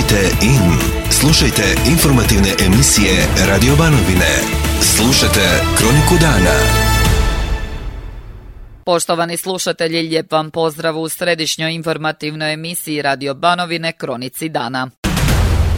Tunite in. Slušajte informativne emisije Radio Banovine. Slušajte Kroniku dana. Poštovani slušatelji, lijep vam pozdrav u središnjoj informativnoj emisiji Radio Banovine Kronici dana.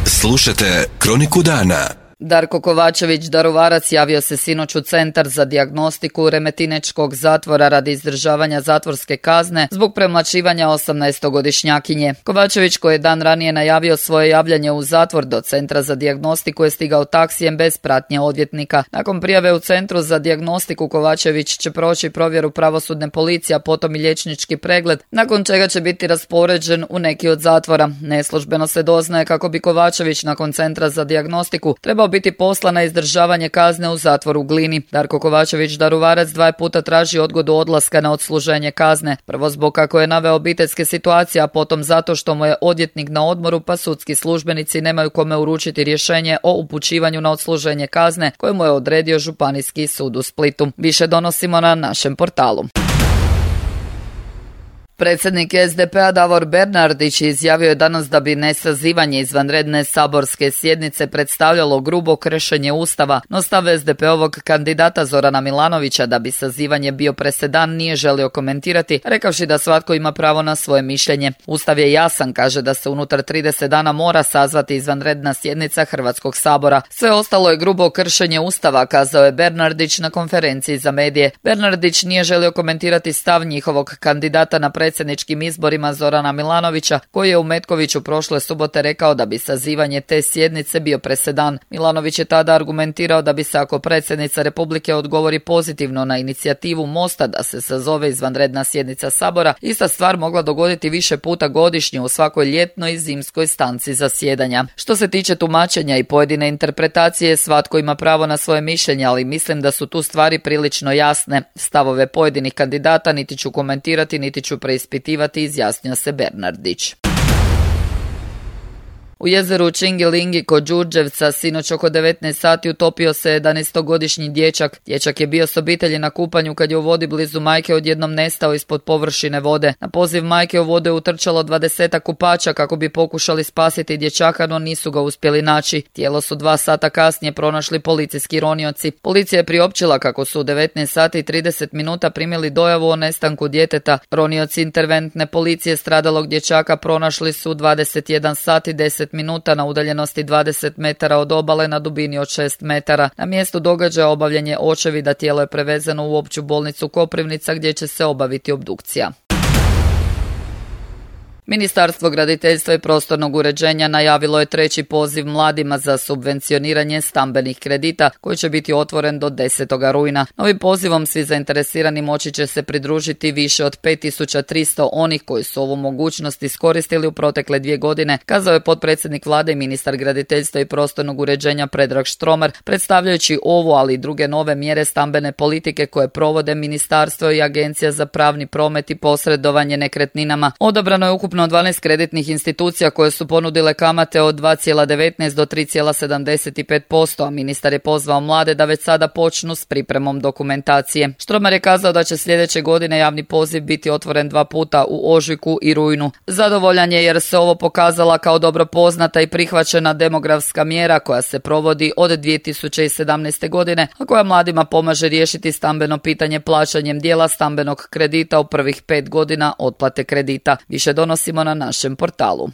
Slušajte Kroniku dana. Darko Kovačević, Daruvarac, javio se sinoć u Centar za dijagnostiku Remetinečkog zatvora radi izdržavanja zatvorske kazne zbog premlaćivanja 18-godišnjakinje. Kovačević, koji je dan ranije najavio svoje javljanje u zatvor do Centra za dijagnostiku, je stigao taksijem bez pratnje odvjetnika. Nakon prijave u Centru za dijagnostiku, Kovačević će proći provjeru pravosudne policije, a potom i liječnički pregled, nakon čega će biti raspoređen u neki od zatvora. Neslužbeno se doznaje kako bi Kovačević nakon Centra za dijagnostiku trebao biti poslan na izdržavanje kazne u zatvoru u Glini. Darko Kovačević, Daruvarac, 2 puta traži odgodu odlaska na odsluženje kazne. Prvo zbog kako je naveo obiteljske situacije, a potom zato što mu je odvjetnik na odmoru, pa sudski službenici nemaju kome uručiti rješenje o upućivanju na odsluženje kazne koje mu je odredio Županijski sud u Splitu. Više donosimo na našem portalu. Predsjednik SDP-a Davor Bernardić izjavio je danas da bi nesazivanje izvanredne saborske sjednice predstavljalo grubo kršenje Ustava, no stav SDP-ovog kandidata Zorana Milanovića da bi sazivanje bio presedan nije želio komentirati, rekavši da svatko ima pravo na svoje mišljenje. Ustav je jasan, kaže da se unutar 30 dana mora sazvati izvanredna sjednica Hrvatskog sabora. Sve ostalo je grubo kršenje Ustava, kazao je Bernardić na konferenciji za medije. Bernardić nije želio komentirati stav njihovog kandidata na predsjedničkim izborima Zorana Milanovića, koji je u Metkoviću prošle subote rekao da bi sazivanje te sjednice bio presedan. Milanović je tada argumentirao da bi se, ako predsjednica Republike odgovori pozitivno na inicijativu Mosta da se sazove izvanredna sjednica Sabora, ista stvar mogla dogoditi više puta godišnje u svakoj ljetnoj i zimskoj stanci zasjedanja. Što se tiče tumačenja i pojedine interpretacije, svatko ima pravo na svoje mišljenje, ali mislim da su tu stvari prilično jasne. Stavove pojedinih kandidata niti ću komentirati, niti ću preispitivati, izjasnio se Bernardić. U jezeru Čingilingi kod Đurđevca sinoć oko 19 sati utopio se 11-godišnji dječak. Dječak je bio s obitelji na kupanju kad je u vodi blizu majke odjednom nestao ispod površine vode. Na poziv majke u vodu je utrčalo 20 kupača kako bi pokušali spasiti dječaka, no nisu ga uspjeli naći. Tijelo su 2 sata kasnije pronašli policijski ronioci. Policija je priopćila kako su u 19 sati i 30 minuta primili dojavu o nestanku djeteta. Ronioci interventne policije stradalog dječaka pronašli su 21 sati 10 minuta na udaljenosti 20 metara od obale na dubini od 6 metara. Na mjestu događaja obavljen je očevida, tijelo je prevezeno u opću bolnicu Koprivnica gdje će se obaviti obdukcija. Ministarstvo graditeljstva i prostornog uređenja najavilo je 3. poziv mladima za subvencioniranje stambenih kredita koji će biti otvoren do 10. rujna. Novim pozivom svi zainteresirani moći će se pridružiti više od 5300 onih koji su ovu mogućnost iskoristili u protekle 2 godine, kazao je potpredsjednik vlade i ministar graditeljstva i prostornog uređenja Predrag Štromar, predstavljajući ovu, ali i druge nove mjere stambene politike koje provode ministarstvo i Agencija za pravni promet i posredovanje nekretninama. Odabrano je ukupno 12 kreditnih institucija koje su ponudile kamate od 2,19 do 3,75%, a ministar je pozvao mlade da već sada počnu s pripremom dokumentacije. Štromar je kazao da će sljedeće godine javni poziv biti otvoren 2 puta u ožujku i rujnu. Zadovoljan je jer se ovo pokazala kao dobro poznata i prihvaćena demografska mjera koja se provodi od 2017. godine, a koja mladima pomaže riješiti stambeno pitanje plaćanjem dijela stambenog kredita u prvih 5 godina otplate kredita. Više donosimo na našem portalu.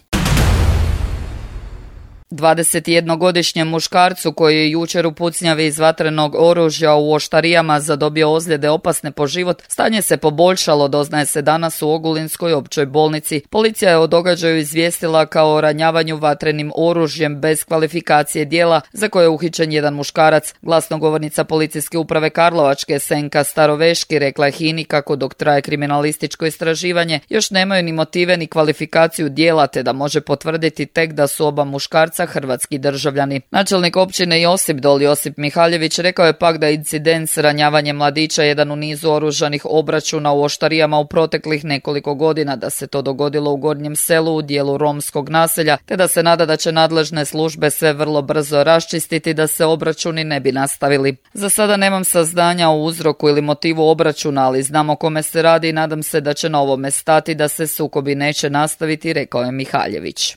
21-godišnjem muškarcu koji je jučer u pucnjavi iz vatrenog oružja u Oštarijama zadobio ozljede opasne po život, stanje se poboljšalo, doznaje se danas u Ogulinskoj općoj bolnici. Policija je o događaju izvijestila kao o ranjavanju vatrenim oružjem bez kvalifikacije djela za koje je uhićen jedan muškarac. Glasnogovornica policijske uprave Karlovačke Senka Staroveški rekla je HINA-i kako dok traje kriminalističko istraživanje još nemaju ni motive ni kvalifikaciju djela, te da može potvrditi tek da su oba muškarca hrvatski državljani. Načelnik općine Josipdol Josip Mihaljević rekao je pak da incident s ranjavanjem mladića jedan u nizu oružanih obračuna u Oštarijama u proteklih nekoliko godina, da se to dogodilo u Gornjem selu u dijelu romskog naselja, te da se nada da će nadležne službe sve vrlo brzo raščistiti da se obračuni ne bi nastavili. Za sada nemam saznanja o uzroku ili motivu obračuna, ali znam o kome se radi i nadam se da će na ovome stati, da se sukobi neće nastaviti, rekao je Mihaljević.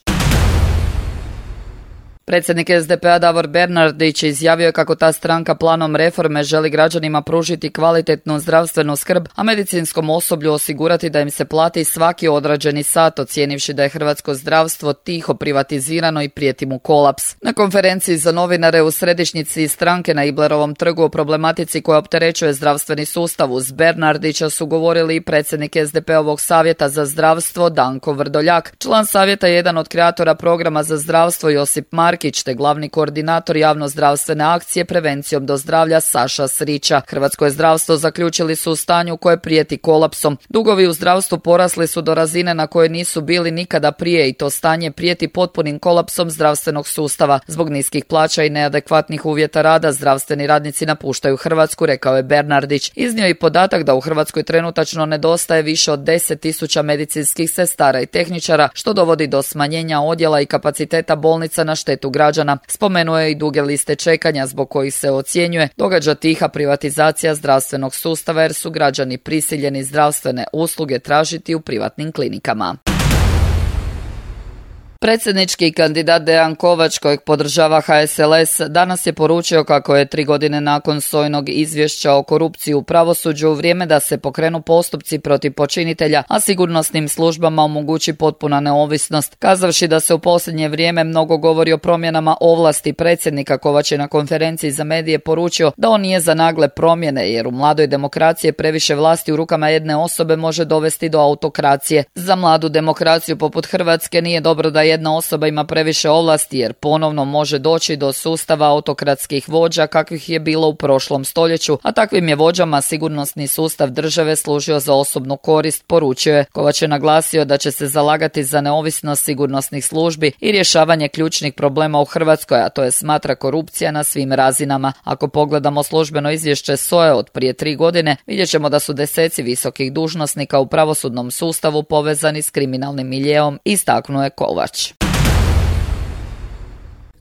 Predsjednik SDP-a Davor Bernardić izjavio je kako ta stranka planom reforme želi građanima pružiti kvalitetnu zdravstvenu skrb, a medicinskom osoblju osigurati da im se plati svaki odrađeni sat, ocijenivši da je hrvatsko zdravstvo tiho privatizirano i prijeti mu kolaps. Na konferenciji za novinare u središnjici stranke na Iblerovom trgu o problematici koja opterećuje zdravstveni sustav uz Bernardića su govorili i predsjednik SDP-ovog savjeta za zdravstvo Danko Vrdoljak. Član savjeta je jedan od kreatora programa za zdravstvo Josip Markić te glavni koordinator javno-zdravstvene akcije Prevencijom do zdravlja Saša Srića. Hrvatsko je zdravstvo zaključili su u stanju koje prijeti kolapsom. Dugovi u zdravstvu porasli su do razine na koje nisu bili nikada prije i to stanje prijeti potpunim kolapsom zdravstvenog sustava. Zbog niskih plaća i neadekvatnih uvjeta rada zdravstveni radnici napuštaju Hrvatsku, rekao je Bernardić. Iznio i podatak da u Hrvatskoj trenutačno nedostaje više od 10.000 medicinskih sestara i tehničara, što dovodi do smanjenja odjela i kapaciteta bolnica na štetu građana. Spomenuo je i duge liste čekanja zbog kojih se ocjenjuje događa tiha privatizacija zdravstvenog sustava jer su građani prisiljeni zdravstvene usluge tražiti u privatnim klinikama. Predsjednički kandidat Dejan Kovač, kojeg podržava HSLS, danas je poručio kako je 3 godine nakon SOA-inog izvješća o korupciji u pravosuđu vrijeme da se pokrenu postupci protiv počinitelja, a sigurnosnim službama omogući potpuna neovisnost. Kazavši da se u posljednje vrijeme mnogo govori o promjenama ovlasti predsjednika, Kovač je na konferenciji za medije poručio da on nije za nagle promjene, jer u mladoj demokraciji previše vlasti u rukama jedne osobe može dovesti do autokracije. Za mladu demokraciju poput Hrvatske nije dobro da jedna osoba ima previše ovlasti jer ponovno može doći do sustava autokratskih vođa kakvih je bilo u prošlom stoljeću, a takvim je vođama sigurnosni sustav države služio za osobnu korist, poručio je. Kovač je naglasio da će se zalagati za neovisnost sigurnosnih službi i rješavanje ključnih problema u Hrvatskoj, a to je smatra korupcija na svim razinama. Ako pogledamo službeno izvješće SOA-e od prije 3 godine, vidjet ćemo da su deseci visokih dužnosnika u pravosudnom sustavu povezani s kriminalnim miljeom, istaknuo je Kovač.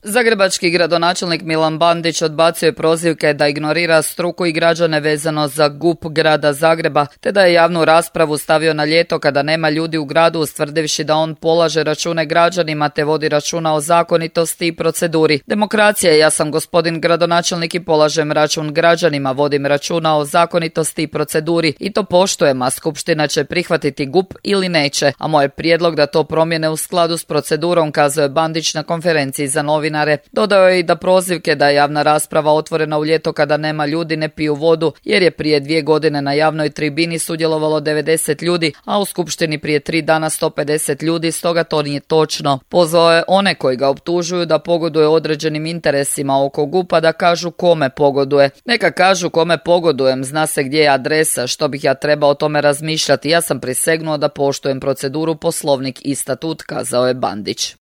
Zagrebački gradonačelnik Milan Bandić odbacio je prozivke da ignorira struku i građane vezano za GUP grada Zagreba, te da je javnu raspravu stavio na ljeto kada nema ljudi u gradu, ustvrdivši da on polaže račune građanima te vodi računa o zakonitosti i proceduri. Demokracija je, ja sam gospodin gradonačelnik i polažem račun građanima, vodim računa o zakonitosti i proceduri i to poštujem, a skupština će prihvatiti GUP ili neće, a moj prijedlog da to promjene u skladu s procedurom, kazao je Bandić na konferenciji za novinare. Dodao je i da prozivke da je javna rasprava otvorena u ljeto kada nema ljudi ne piju vodu, jer je prije 2 godine na javnoj tribini sudjelovalo 90 ljudi, a u skupštini prije 3 dana 150 ljudi, stoga to nije točno. Pozvao je one koji ga optužuju da pogoduje određenim interesima oko GUP-a da kažu kome pogoduje. Neka kažu kome pogodujem, zna se gdje je adresa, što bih ja trebao o tome razmišljati, ja sam prisegnuo da poštujem proceduru, poslovnik i statut, kazao je Bandić.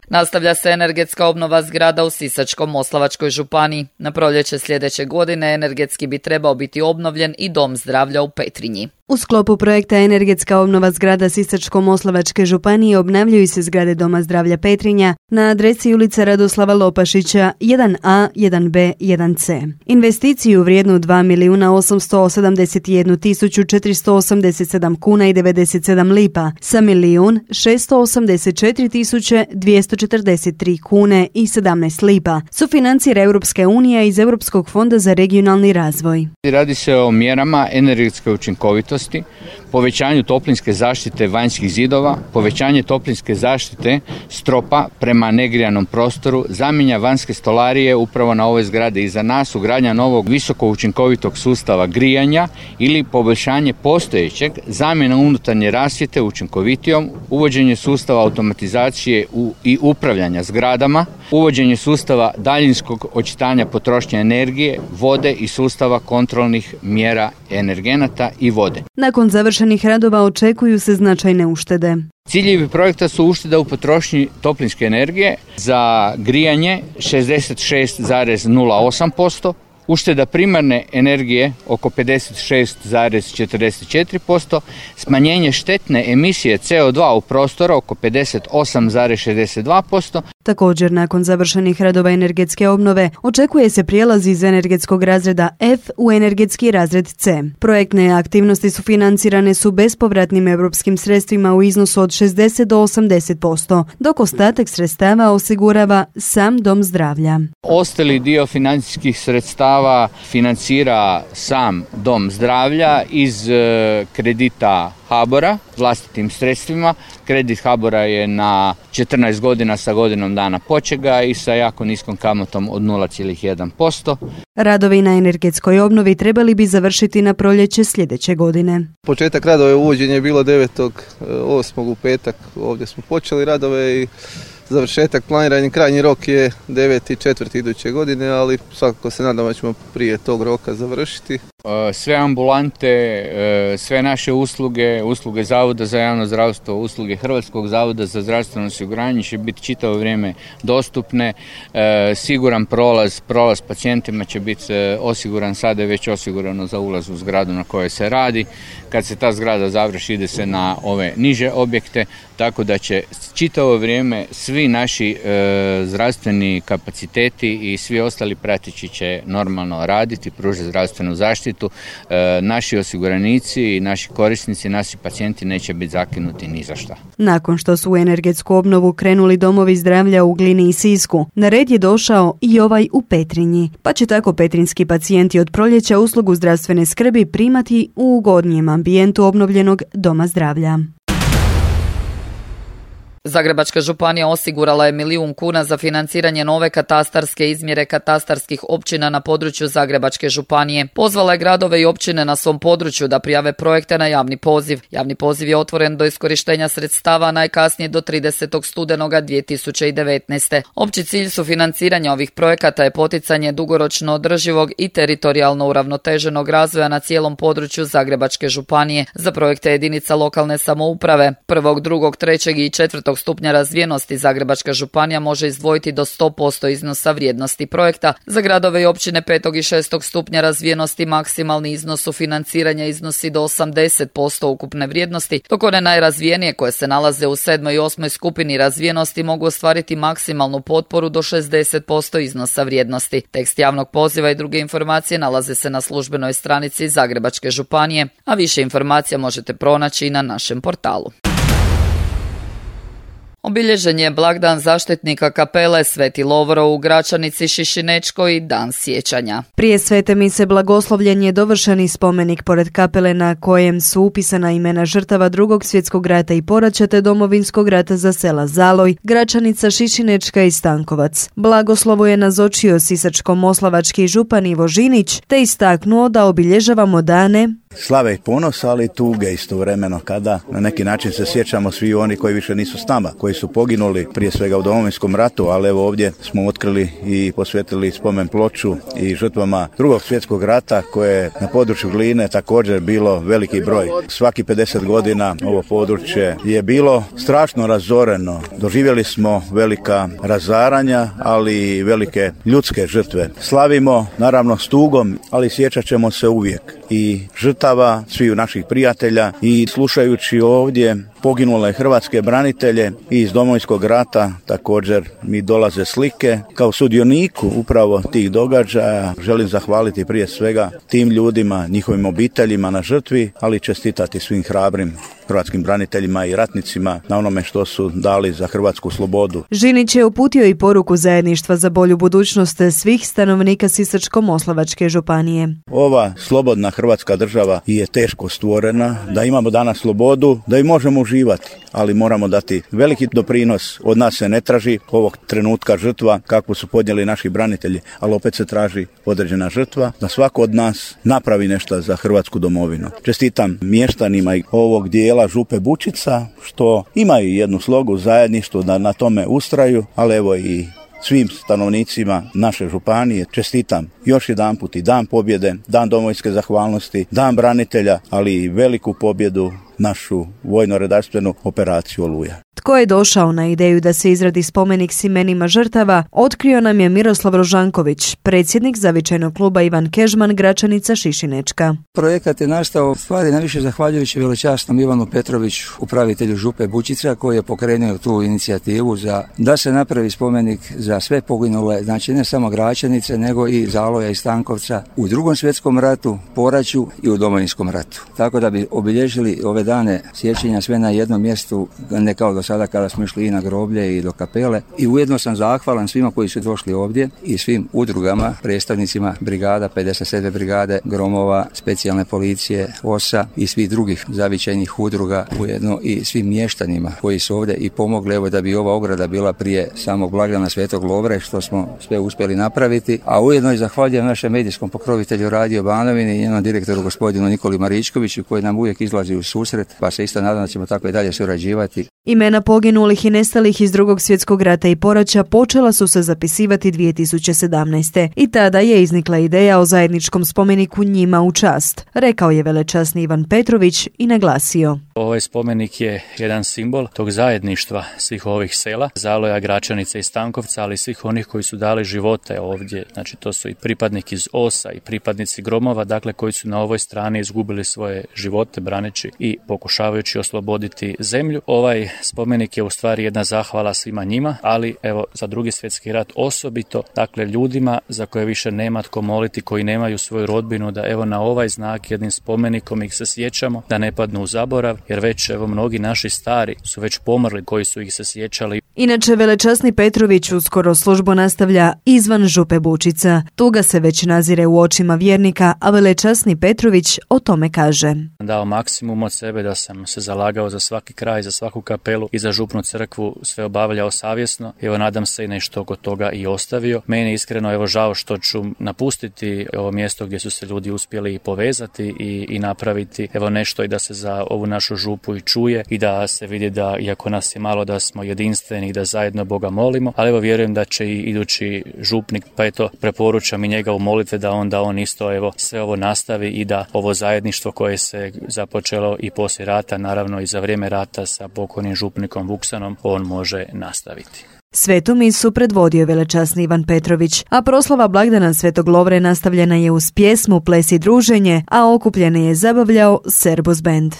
Nastavlja se energetska obnova zgrada u Sisačko-moslavačkoj županiji. Na proljeće sljedeće godine energetski bi trebao biti obnovljen i dom zdravlja u Petrinji. U sklopu projekta Energetska obnova zgrada Sisačko-moslavačke županije obnavljaju se zgrade Doma zdravlja Petrinja na adresi ulica Radoslava Lopašića 1A, 1B, 1C. Investiciju vrijednu 2.871.487 kuna i 97 lipa sa 1.684.243 kune i 17 lipa sufinancira Europska unija iz Europskog fonda za regionalni razvoj. Radi se o mjerama energetske učinkovitosti, povećanju toplinske zaštite vanjskih zidova, povećanje toplinske zaštite stropa prema negrijanom prostoru, zamjena vanjske stolarije upravo na ovoj zgradi iza nas, ugradnja novog visoko učinkovitog sustava grijanja ili poboljšanje postojećeg, zamjena unutarnje rasvjete učinkovitijom, uvođenje sustava automatizacije i upravljanja zgradama, uvođenje sustava daljinskog očitanja potrošnje energije, vode i sustava kontrolnih mjera energenata i vode. Nakon završenih radova očekuju se značajne uštede. Ciljevi projekta su ušteda u potrošnji toplinske energije za grijanje 66,08%, ušteda primarne energije oko 56,44%, smanjenje štetne emisije CO2 u prostoru oko 58,62%. Također, nakon završenih radova energetske obnove, očekuje se prijelaz iz energetskog razreda F u energetski razred C. Projektne aktivnosti su financirane bespovratnim europskim sredstvima u iznosu od 60 do 80%, dok ostatak sredstava osigurava sam dom zdravlja. Ostali dio financijskih sredstava financira sam dom zdravlja iz kredita HBOR-a vlastitim sredstvima. Kredit HBOR-a je na 14 godina sa godinom dana počeka i sa jako niskom kamatom od 0,1%. Radovi na energetskoj obnovi trebali bi završiti na proljeće sljedeće godine. Početak radova uvođenja je bilo 9.8. u petak. Ovdje smo počeli radove i završetak planiran, krajnji rok je 9.4. iduće godine, ali svakako se nadamo da ćemo prije tog roka završiti. Sve ambulante, sve naše usluge Zavoda za javno zdravstvo, usluge Hrvatskog zavoda za zdravstveno osiguranje će biti čitavo vrijeme dostupne. Siguran prolaz pacijentima će biti osiguran, sada je već osigurano za ulaz u zgradu na kojoj se radi. Kad se ta zgrada završi, ide se na ove niže objekte, tako da će čitavo vrijeme svi naši zdravstveni kapaciteti i svi ostali pratići će normalno raditi, pružati zdravstvenu zaštitu. Naši osiguranici i naši korisnici, naši pacijenti neće biti zakinuti ni za šta. Nakon što su u energetsku obnovu krenuli domovi zdravlja u Glini i Sisku, na red je došao i ovaj u Petrinji, pa će tako petrinjski pacijenti od proljeća uslugu zdravstvene skrbi primati u ugodnijem ambijentu obnovljenog doma zdravlja. Zagrebačka županija osigurala je 1 milijun kuna za financiranje nove katastarske izmjere katastarskih općina na području Zagrebačke županije. Pozvala je gradove i općine na svom području da prijave projekte na javni poziv. Javni poziv je otvoren do iskorištenja sredstava najkasnije do 30. studenoga 2019. Opći cilj sufinanciranja ovih projekata je poticanje dugoročno održivog i teritorijalno uravnoteženog razvoja na cijelom području Zagrebačke županije za projekte jedinica lokalne samouprave. 1., 2., 3. i 4. stupnja razvijenosti Zagrebačka županija može izdvojiti do 100% iznosa vrijednosti projekta. Za gradove i općine 5. i 6. stupnja razvijenosti maksimalni iznos sufinanciranja iznosi do 80% ukupne vrijednosti, dok one najrazvijenije koje se nalaze u 7. i 8. skupini razvijenosti mogu ostvariti maksimalnu potporu do 60% iznosa vrijednosti. Tekst javnog poziva i druge informacije nalaze se na službenoj stranici Zagrebačke županije, a više informacija možete pronaći i na našem portalu. Obilježen je blagdan zaštitnika kapele Sveti Lovro u Gračanici, Šišinečkoj i dan sjećanja. Prije svete mise blagoslovljen je dovršeni spomenik pored kapele na kojem su upisana imena žrtava Drugog svjetskog rata i poraća te Domovinskog rata za sela Zaloj, Gračanica, Šišinečka i Stankovac. Blagoslovu je nazočio sisačko-moslavački župan Ivo Žinić te istaknuo da obilježavamo dane slave i ponosa, ali i tuge istovremeno, kada na neki način se sjećamo svi oni koji više nisu s nama, koji su poginuli prije svega u Domovinskom ratu, ali evo ovdje smo otkrili i posvetili spomen ploču i žrtvama Drugog svjetskog rata koje je na području Gline također bilo veliki broj. Svaki 50 godina ovo područje je bilo strašno razoreno. Doživjeli smo velika razaranja, ali i velike ljudske žrtve. Slavimo naravno s tugom, ali sjećat ćemo se uvijek i žrtava svih naših prijatelja i slušajući ovdje poginule hrvatske branitelje i iz Domovinskog rata također mi dolaze slike. Kao sudioniku upravo tih događaja želim zahvaliti prije svega tim ljudima, njihovim obiteljima na žrtvi, ali čestitati svim hrabrim hrvatskim braniteljima i ratnicima na onome što su dali za hrvatsku slobodu. Žinić je uputio i poruku zajedništva za bolju budućnost svih stanovnika Sisačko-moslavačke županije. Ova slobodna hrvatska država je teško stvorena, da imamo danas slobodu, da i možemo uživati, ali moramo dati veliki doprinos. Od nas se ne traži ovog trenutka žrtva kakvu su podnijeli naši branitelji, ali opet se traži određena žrtva da svako od nas napravi nešto za hrvatsku domovinu. Čestitam mještanima ovog dijela Župe Bučica što imaju jednu slogu zajedništvo da na tome ustraju, ali evo i svim stanovnicima naše županije čestitam još jedanput i Dan pobjede, Dan domovinske zahvalnosti, Dan branitelja, ali i veliku pobjedu našu vojno-redarstvenu operaciju Oluja. Tko je došao na ideju da se izradi spomenik s imenima žrtava, otkrio nam je Miroslav Rožanković, predsjednik zavičajnog kluba Ivan Kežman, Gračanica Šišinečka. Projekat je nastao stvari najviše zahvaljujući velečasnom Ivanu Petroviću, upravitelju Župe Bučica, koji je pokrenuo tu inicijativu da se napravi spomenik za sve poginule, znači ne samo Gračanice, nego i Zaloja i Stankovca u Drugom svjetskom ratu, poraću i u Domovinskom ratu. Tako da bi obilježili ove dane sjećanja sve na jednom mjestu, ne kao do sada kada smo išli i na groblje i do kapele. I ujedno sam zahvalan svima koji su došli ovdje i svim udrugama, predstavnicima brigada, 57. brigade, Gromova, specijalne policije, OSA i svih drugih zavičajnih udruga, ujedno i svim mještanima koji su ovdje i pomogli evo da bi ova ograda bila prije samog blagdana Svetog Lovre, što smo sve uspjeli napraviti. A ujedno i zahvaljujem našem medijskom pokrovitelju Radio Banovine i njenom direktoru gospodinu Nikoli Maričkoviću, koji nam uvijek izlazi u susret, pa se isto nadam da ćemo tako i dalje surađivati. Imena poginulih i nestalih iz Drugog svjetskog rata i poraća počela su se zapisivati 2017. I tada je iznikla ideja o zajedničkom spomeniku njima u čast, rekao je velečasni Ivan Petrović i naglasio. Ovaj spomenik je jedan simbol tog zajedništva svih ovih sela, Zaloja, Gračanice i Stankovca, ali svih onih koji su dali živote ovdje. Znači to su i pripadnik iz OSA i pripadnici Gromova, dakle koji su na ovoj strani izgubili svoje živote braneći i pokušavajući osloboditi zemlju. Ovaj spomenik je u stvari jedna zahvala svima njima, ali evo za Drugi svjetski rat osobito, dakle ljudima za koje više nema tko moliti, koji nemaju svoju rodbinu, da evo na ovaj znak jednim spomenikom ih se sjećamo, da ne padnu u zaborav, jer već evo mnogi naši stari su već pomrli koji su ih se sjećali. Inače, velečasni Petrović uskoro službu nastavlja izvan Župe Bučica. Tuga se već nazire u očima vjernika, a velečasni Petrović o tome kaže. Dao maksimum od sebe, da sam se zalagao za svaki kraj, za svaku kapelu i za župnu crkvu, sve obavljao savjesno. Evo nadam se i nešto oko toga i ostavio. Meni je iskreno evo žao što ću napustiti ovo mjesto gdje su se ljudi uspjeli povezati i napraviti evo nešto i da se za ovu našu župu i čuje i da se vidi da iako nas je malo da smo jedinstveni i da zajedno Boga molimo, ali evo vjerujem da će i idući župnik, pa eto preporučam i njega u molitve da on isto evo sve ovo nastavi i da ovo zajedništvo koje se započelo i poslije rata, naravno i za vrijeme rata sa pokojnim župnikom Vuksanom, on može nastaviti. Svetu misu predvodio velečasni Ivan Petrović, a proslava blagdana Svetog Lovre nastavljena je uz pjesmu, ples i druženje, a okupljene je zabavljao Serbos band.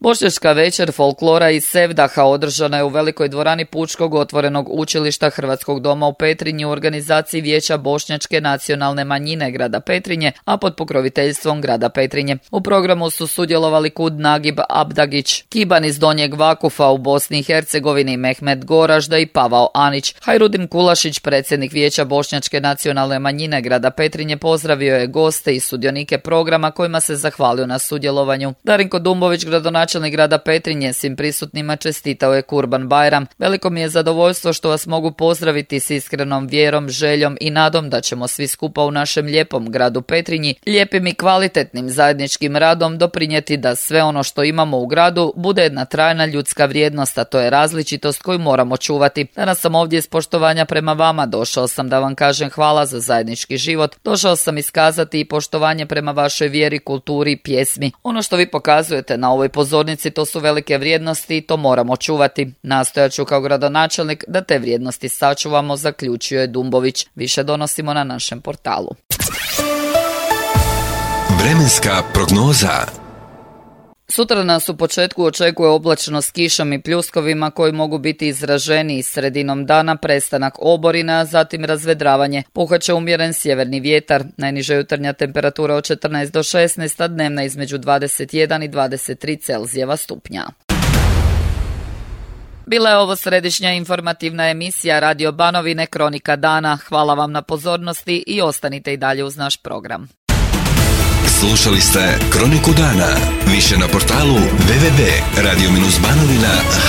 Bošnjačka večer folklora i sevdaha održana je u velikoj dvorani Pučkog otvorenog učilišta Hrvatskog doma u Petrinji u organizaciji Vijeća Bošnjačke nacionalne manjine grada Petrinje, a pod pokroviteljstvom grada Petrinje. U programu su sudjelovali Kud Nagib Abdagić, Kiban iz Donjeg Vakufa u Bosni i Hercegovini, Mehmet Goražda i Pavao Anić. Hajrudin Kulašić, predsjednik Vijeća Bošnjačke nacionalne manjine grada Petrinje, pozdravio je goste i sudionike programa kojima se zahvalio na sudjelovanju. Darinko Dumbović, gradonačelnik grada Petrinje, svim prisutnima čestitao je Kurban Bajram. Veliko mi je zadovoljstvo što vas mogu pozdraviti s iskrenom vjerom, željom i nadom da ćemo svi skupa u našem lijepom gradu Petrinji, lijepim i kvalitetnim zajedničkim radom doprinijeti da sve ono što imamo u gradu bude jedna trajna ljudska vrijednost, a to je različitost koju moramo čuvati. Danas sam ovdje iz poštovanja prema vama, došao sam da vam kažem hvala za zajednički život, došao sam iskazati i poštovanje prema vašoj vjeri, kulturi i pjesmi. Ono što vi pokazujete na ovoj pozornici, to su velike vrijednosti i to moramo čuvati. Nastojat ću kao gradonačelnik da te vrijednosti sačuvamo, zaključio je Dumbović. Više donosimo na našem portalu. Vremenska prognoza. Sutra nas u početku očekuje oblačno s kišom i pljuskovima koji mogu biti izraženiji. Sredinom dana prestanak oborina, zatim razvedravanje. Puhat umjeren sjeverni vjetar. Najniža jutarnja temperatura od 14 do 16, a dnevna između 21 i 23 Celzijeva stupnja. Bila je ovo središnja informativna emisija Radio Banovine Kronika dana. Hvala vam na pozornosti i ostanite i dalje uz naš program. Slušali ste Kroniku dana. Više na portalu www.radio-banovina.hr.